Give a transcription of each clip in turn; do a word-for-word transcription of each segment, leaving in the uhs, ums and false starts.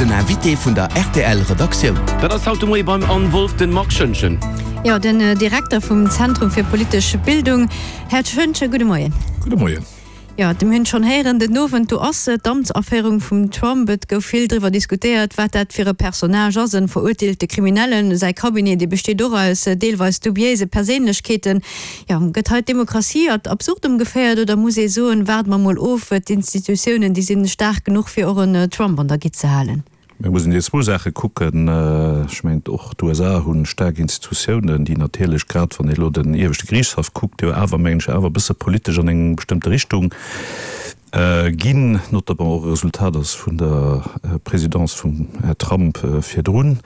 Den Invité vun der R T L Redaktioun. Dat ass haut de Moie beim Anne Wolff den Marc Schoentgen. Jo, den Direkter vum Zentrum fir politesch Bildung. Här Schoentgen, gudde Moien. Gudde Moien. Jo, mir hunn schonn héieren, den Owend do ass d'Amtsaféierung vum Trump. Et gouf vill driwwer diskutéiert, wat dat fir e Personnage ass, e verurteelte Kriminellen. Säi Cabinet, dee besteet och aus deelweis dubiéise Perséinlechkeeten. Jo, gëtt hei d'Demokratie ad absurdum geféiert oder muss ee soen, waarde mer mol of, d'Institutiounen, déi sinn staark genuch, fir och en Trump an der Gitt ze halen? Mir mussen déi zwou Saache kucken. Ech mengen, och d'U S A hu staark Institutiounen, déi natierlech, grad wann ee elo den Ieweschte Geriichtshaff kuckt, jo awer, mengen ech, awer e bësse politesch an eng bestëmmte Richtung ginn, notamment och e Resultat ass vun der Présidence vum Här Trump virdrun.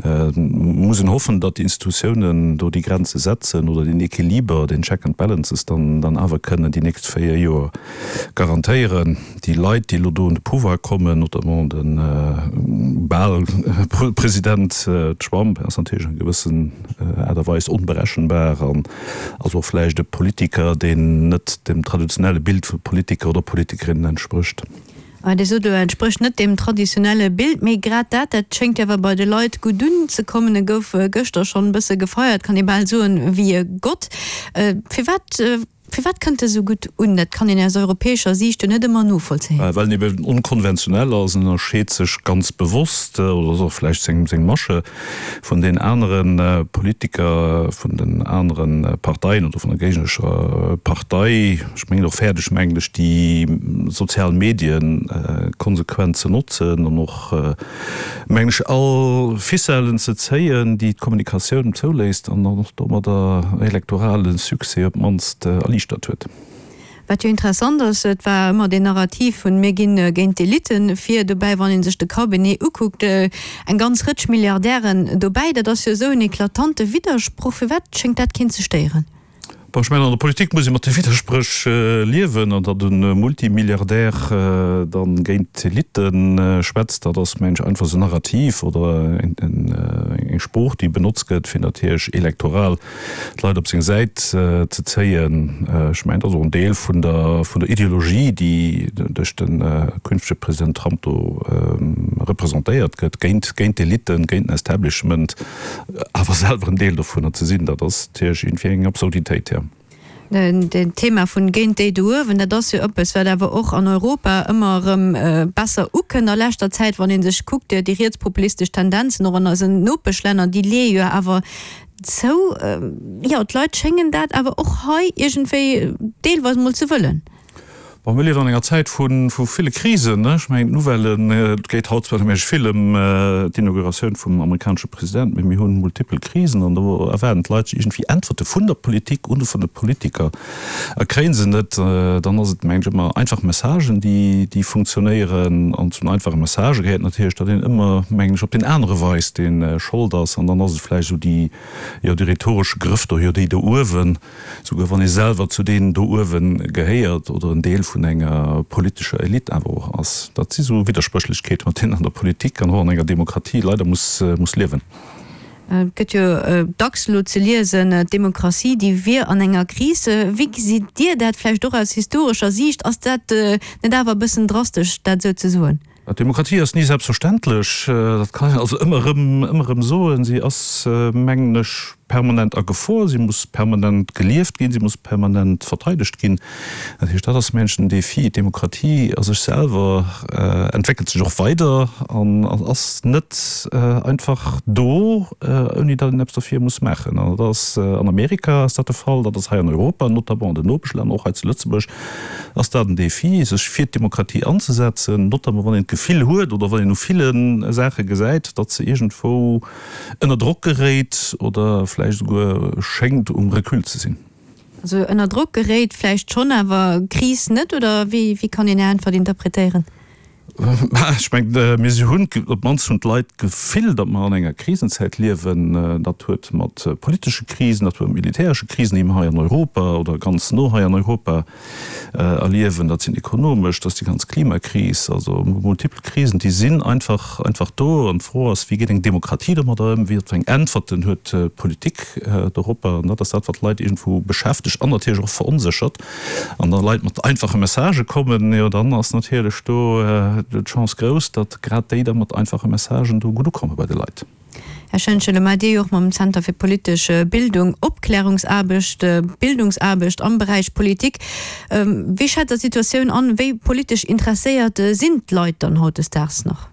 Et muss een hoffen, datt déi Institutiounen do déi Grenze setzen oder den Equiliber, den Check and Balances dann dann awer kënnen déi nächst véier Joer garantéieren. Déi Leit, déi elo do un de Pouvoir kommen, notamment de bal President Trump, ass natierlech an gewëssen Aart a Weis onberechenbar an ass och vläicht e Politiker, deen net dem traditionelle Bild vu Politiker oder Politikerinnen entsprécht. Dir sot elo, entsprécht net deem traditionelle Bild, mee grad dat, dat schéngt jo awer bei de Leit gutt unzekommen. E gouf gëschter schonn e bësse gefeiert, kann ee bal soen, wéi e Gott. Firwat, firwat kënnt e sou gutt un? Dat kann een aus europäescher Siicht jo net ëmmer novollzéien. Well en eben onkonventionell ass, en ënnerscheet sech ganz bewosst, oder ass och vläicht seng, seng Masche, vun den anere Politiker, vun den anere Parteien oder vun der géignerescher Partei. Ech mengen och fäerdeg, mengen ech, déi sozial Medien konsequent ze notzen an och, mengen ech, all Ficellen ze zéien, déi d'Kommunikatioun zouléisst an dann och domadder elektorale Succès op d'mannst erliichtert huet. Wat jo interessant ass, et war ëmmer deen Narrativ vun mir ginn géint d'Elitten vir, dobäi wann ee sech de Cabinet ukuckt, eng ganz Rëtsch Milliardären dobäi, dat ass jo esou en eklatante Widdersproch. Firwat schéngt dat keen ze stéieren? Bon, ech mengen, an der Politik muss ee mat de Widderspréch liewen, an datt e Multimilliardär dann géint d'Elite schwätzt, dat ass, mengen ech, einfach esou en Narrativ oder eng Sprooch, déi benotzt gëtt, fir natierlech elektoral d'Leit op seng Säit ze zéien. Ech mengen, dat ass och en Deel vun der, vun der Ideologie, déi duerch de künftege President Trump do representéiert gëtt, géint, géint d'Eliten, géint den Establishment, awer selwer en Deel dovunner ze sinn. Dat ass natierlech iergendwéi eng Absurditéit, jo. Den Thema vun géint déi do uewen, dat ass jo eppes, wat awer och an Europa ëmmer erëm besser ukënnt a leschter Zäit, wann ee sech kuckt, déi rietspopulistesch Tendenzen och an eisen Nopeschlänner, déi leeë jo awer zou. Jo, d'Leit schéngen dat awer och hei iergendwéi deelweis mol ze wëllen. Bon, mir liewen an enger Zäit vu ville Krisen. Ech mengen, d'Nouvellen, et geet haut zwar nëmme vill ëm d'Inauguratioun vum amerikanesche President, mee mir hu multipel Krisen an do erwaarden d'Leit sech iergendwéi Äntwerte vun der Politik oder vun de Politiker a kréie se net. Dann ass et, mengen ech, ëmmer einfach Messagen, déi, déi funktionéieren. An zu den einfache Messagë gehéiert natierlech, datt een ëmmer, mengen ech, op deen anere weist, dee Schold ass. An dann ass et vläicht esou déi, jo, dee rhetoresche Grëff do, jo, déi do uewen, souguer wann ee selwer zu deenen do uewe gehéiert oder en Deel vun enger politescher Elite awer och ass. Dat si sou Widderspréchlechkeeten, mat deenen an der Politik an och an enger Demokratie leider muss, muss liewen. Et gëtt jo dacks elo ze liesen, d'Demokratie, déi wier an enger Kris. Wéi gesitt Dir dat vläicht och aus historescher Siicht? Ass dat net awer e bëssen drastesch, dat esou ze soen? D'Demokratie ass ni selbstverständlech, dat kann een also ëmmer erëm, ëmmer erëm soen. Si ass, mengen ech, permanent a Gefor, si muss permanent gelieft ginn, si muss permanent verteidegt ginn. Dat heescht, dat ass, mengen ech, den Défi. D'Demokratie a sech selwer entwéckelt sech och weider an ass net einfach do, ouni datt een eppes dofir muss maachen. An dat ass an Amerika ass dat de Fall, dat ass hei an Europa, notamment an den Nopeschlänner, och hei zu Lëtzebuerg ass dat en Défi, sech fir d'Demokratie anzesetzen, notamment wann een d'Gefill huet oder wann een u ville Saache gesäit, datt se iergendwou ënner Drock geréit oder vläicht esouguer schéngt um Recul ze sinn. Also ënner Drock geréit vläicht schonn, awer Kris net, oder wéi kann een Är Äntwert interpretéieren? Ech mengen, mir si hunn, op d'mannst hunn d'Leit d'Gefill, datt mer an enger Krisenzäit liewen. Dat huet mat politesche Krisen, dat huet mat militäresche Krisen, déi mer hei an Europa oder ganz no hei an Europa erliewen, dat sinn ekonomesch, dat ass déi ganz Klimakris, also multipel Krisen, déi sinn einfach, einfach do. An d'Fro ass, wéi geet eng Demokratie domadder ëm, wéi eng Äntwerten huet d'Politik doropper? An dat ass dat, wat d'Leit iergendwou beschäftegt an natierlech och veronséchert. An da Leit mat einfache Messagë kommen, jo dann ass natierlech do d'Chance grouss, datt grad déi da mat einfache Messagen do gutt ukomme bei de Leit. Här Schoentgen, elo maacht Dir jo och mam Zenter fir politesch Bildung Opklärungsaarbecht, Bildungsaarbecht am Beräich Politik. Wéi schätzt Der d'Situatioun an? Wéi politesch interesséiert sinn d'Leit dann hautdesdaags nach?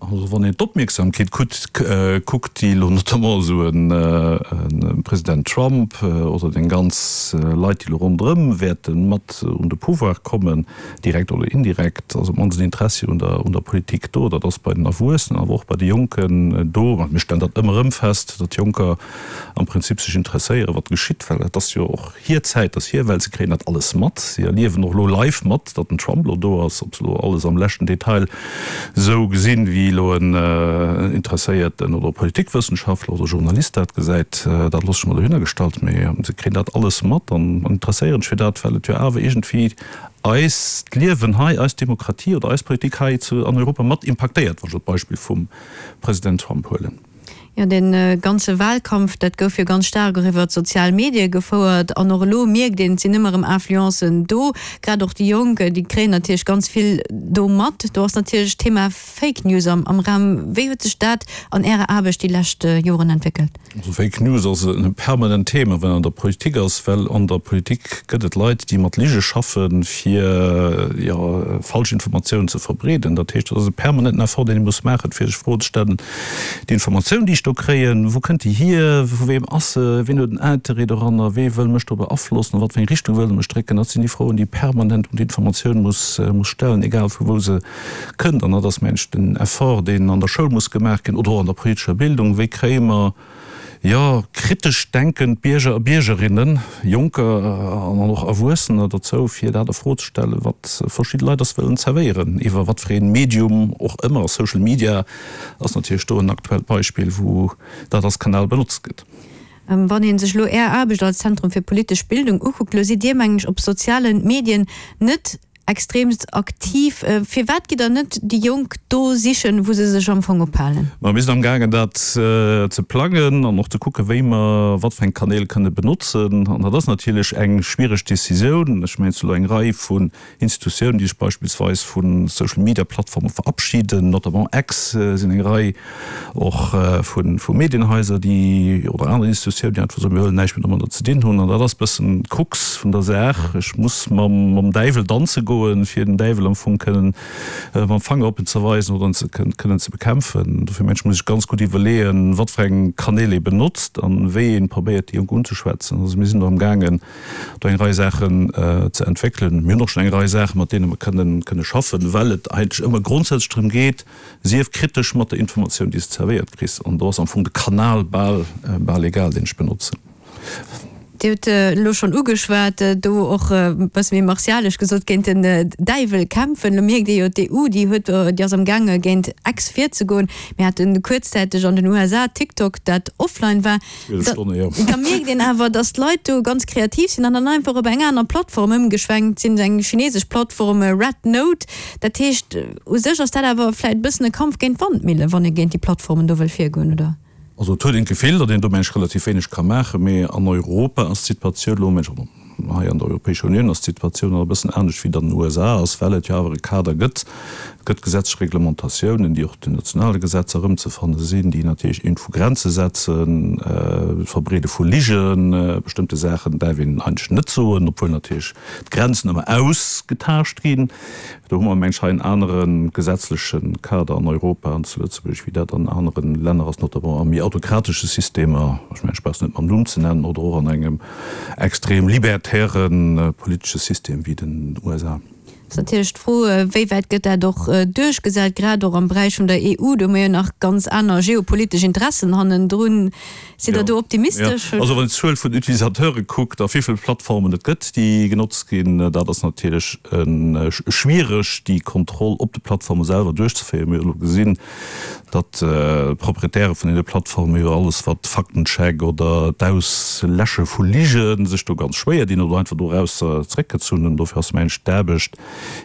Also wann een d'Opmierksamkeet kuckt, déi elo notamment esou e President Trump oder deng ganz Leit, déi elo ronderëm wäerte mat un de Pouvoir kommen, direkt oder indirekt, ass op d'mannst en Interessi un der un der Politik do. Dat ass bei den Erwuessenen, awer och bei de Jonken do. Mir stellen dat ëmmer erëm fest, datt Jonker am Prinzip sech interesséieren, wat geschitt, well et ass jo och hir Zäit, ass hir Welt, se kréien dat alles mat. Si erliewen och elo live mat, datt den Trump elo do ass, ob se elo alles am leschten Detail esou gesinn, wéi elo en Interesséierten oder Politikwëssenschaftler oder Journalist dat gesäit, dat loosse ech mol dohinner gestallt, mee se kréien dat alles mat an interesséieren sech fir dat, well et jo awer iergendwéi eist Liewen hei, eis Demokratie oder eis Politik hei zu an Europa mat impaktéiert, wann ech elo d'Beispill vum President Trump huelen. Jo, dee ganze Wahlkampf, dat gouf jo ganz staark och iwwer d'sozial Medie gefouert. An och elo mierkt een, et sinn ëmmer erëm Influencen do. Grad och déi Jonk, déi kréien natierlech ganz vill do mat. Do ass natierlech d'Thema Fake News am Raum. Wéi huet sech dat an Ärer Aarbecht déi lescht Joren entwéckelt? Also Fake News ass e permanent Thema, wann an der Politik ass, well an der Politik gëtt et Leit, déi mat Lige schaffen, fir, jo, falsch Informatiounen ze verbreeden. Dat heescht, dat ass e permanenten Effort, deen ee muss maachen, fir sech Froen ze stellen, Déi Informatioun, déi ech do kréien, wou kënnt déi hier, vu weem ass se, wien huet en Interêt doranner, wee wëll mech do beaflossen, a wat fir eng Richtung wëll e mech drécken? Dat sinn déi Froen, déi ee permanent un d'Informatioun muss muss stellen, egal vu wou se kënnt. An dat ass, mengen ech, den Effort, deen an der Schoul muss gemaach ginn oder och an der politescher Bildung, Wéi kréie mer, jo, kritesch denkend Bierger a Biergerinnen, Jonker an och Erwuessener dozou, fir dat a Fro ze stellen, wat verschidde Leit eis wëllen zerwéieren, iwwer wat fir ee Medium och ëmmer. Social Media ass natierlech do en aktuellt Beispill, wou dat als Kanal benotzt gëtt. Wann ee sech elo Är Aarbecht als Zentrum fir politesch Bildung ukuckt, elo sidd Dir, mengen ech, op soziale Medien net Extremst aktiv. Firwat gitt der net déi Jonk do sichen, wou se sech am Fong ophalen? Ma mir sinn amgaangen dat ze plangen an och ze kucken, wéi mer wat fir eng Kanäl kënne benotzen. An dat ass natierlech eng schwiereg Decisioun. Ech mengen, et si elo eng Rei vun Institutiounen, déi sech beispillsweis vu Social-Media-Plattforme verabschiden, notamment X sinn eng Rei och vu Medienhaiser, déi, oder aner Institutiounen, déi einfach soen, mir wëllen näischt méi domadder ze dinn hunn. An dat ass e bëssen d'Krux vun der Saach. Ech muss mam Däiwel danze goen, fir den Däiwel am Fong kënnen mam Fanger op en ze weisen oder en ze kënnen ze bekämpfen. Dofir mengen ech, muss ech ganz gutt iwwerleeën, wat fir eng Kanäl ee benotzt an wéi ee probéiert, déi Jonk unzeschwätzen. Also mir sinn do amgaangen, do eng Rei Saachen ze entwéckelen. Mir hunn och schonn eng Rei Saachen, mat deene mer kënnen kënne schaffen, well et eigentlech ëmmer grondsätzlech drëm geet, Sief kritesch mat der Informatioun, déi s de zerwéiert kriss. An do ass am Fong de Kanal bal bal egal, deen ech benotzen. Dir hutt elo schonn ugeschwat, do och e bësse méi martialesch gesot, géint den Däiwel kämpfen. Elo mierkt ee jo, d'EU, déi huet, déi ass amgaange géint X virzegoen. Mir hate kuerzzäiteg an den U S A TikTok, dat offline war. Da mierkt een awer, datt d'Leit do ganz kreativ sinn an dann einfach op eng aner Plattform ëmgeschwenkt sinn, eng chinesesch Plattform, Red Note. Dat heescht, u sech ass dat awer vläicht e bëssen e Kampf géint d'Wandmillen, wann ee géint déi Plattformen do wëll virgoen, oder? Also et huet een d'Gefill, datt een do mensch relativ wéineg ka maachen, mee an Europa ass d'Situatioun elo, mensch hei an der Europäescher Unioun ass d'Situatioun nach e bëssen anescht wéi et an den U S A ass, well et jo awer e Kader gëtt. Et gëtt gesetzlech Reglementatiounen, déi och den nationale Gesetzer erëmzefanne sinn, déi natierlech iergendwou Grenze setzen, d'Verbreede vu Ligen, bestëmmte Saachen däerf een eigentlech net soen, obwuel natierlech d'Grenzen ëmmer ausgetaascht ginn. Do hu mer, meng ech, hei en anere gesetzleche Kader an Europa an zu Lëtzebuerg, wéi dat an anere Länner ass, notamment a méi autokratesche Systemer, ech mengen, ech brauch se net mam Numm ze nennen, oder och an engem extrem libertäre politesche System wéi den U S A. Ass natierlech d'Fro, wéi wäit gëtt dat och duerchgesat, grad och am Beräich vun der E U, do hu mir jo nach ganz aner geopolitesch Interessen hannendrun. Sidd Der do optimistesch? Jo, also wann een d'Zuel vun Utilisateure kuckt a wéi vill Plattformen et gëtt, déi genotzt ginn, dat ass natierlech schwiereg, déi Kontroll op de Plattforme selwer duerchzeféieren. Mir hu elo gesinn, datt d'Proprietäre vun deene Plattforme jo alles wat Faktencheck oder d'Ausläsche vu Lige sech do ganz schwéier dinn oder einfach dorausser zeréckgezunn hunn. Dofir ass, mengen ech, d'Aarbecht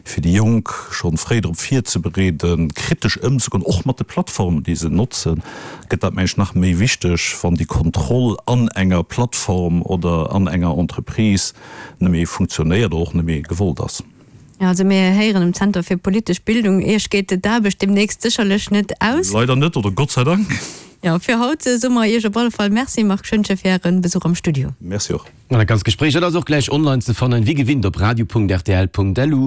fir déi Jonk schonn fréi drop virzebereeden, kritesch ëmzegoen, och mat de Plattformen, déi se notzen, gëtt dat, mengen ech, nach méi wichteg, wann déi Kontroll an enger Plattform oder an enger Entreprise net méi funktionéiert oder och net méi gewollt ass. Jo, also mir héieren um Zenter fir politesch Bildung, Iech geet d'Aarbecht deemnächst sécherlech net aus. Leider net, oder Gott sei Dank. Jo, fir haut soe mer Iech op alle Fall Merci, Marc Schoentgen, fir Äre Besuch am Studio. Merci och. An dat ganzt Gespréich, dat ass och gläich online ze fannen, wéi gewinnt op radio.rtl.lu.